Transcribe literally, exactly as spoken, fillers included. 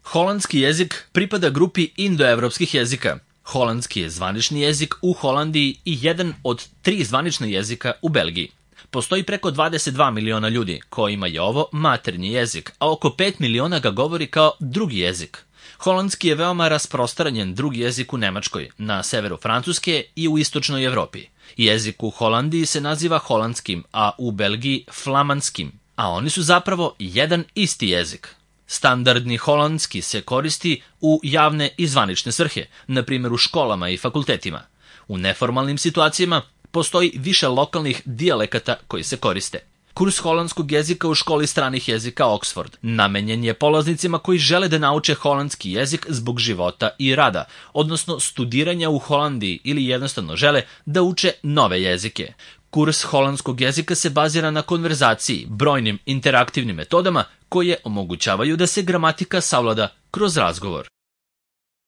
Holandski jezik pripada grupi indoevropskih jezika. Holandski je zvanični jezik u Holandiji i jedan od tri zvanična jezika u Belgiji. Postoji preko dvadeset dva miliona ljudi kojima je ovo maternji jezik, a oko pet miliona ga govori kao drugi jezik. Holandski je veoma rasprostranjen drugi jezik u Nemačkoj, na severu Francuske i u istočnoj Evropi. Jezik u Holandiji se naziva holandskim, a u Belgiji flamanskim, a oni su zapravo jedan isti jezik. Standardni holandski se koristi u javne i zvanične svrhe, na primjer u školama i fakultetima. U neformalnim situacijama postoji više lokalnih dijalekata koji se koriste. Kurs holandskog jezika u školi stranih jezika Oxford namenjen je polaznicima koji žele da nauče holandski jezik zbog života i rada, odnosno studiranja u Holandiji ili jednostavno žele da uče nove jezike. Kurs holandskog jezika se bazira na konverzaciji, brojnim interaktivnim metodama koje omogućavaju da se gramatika savlada kroz razgovor.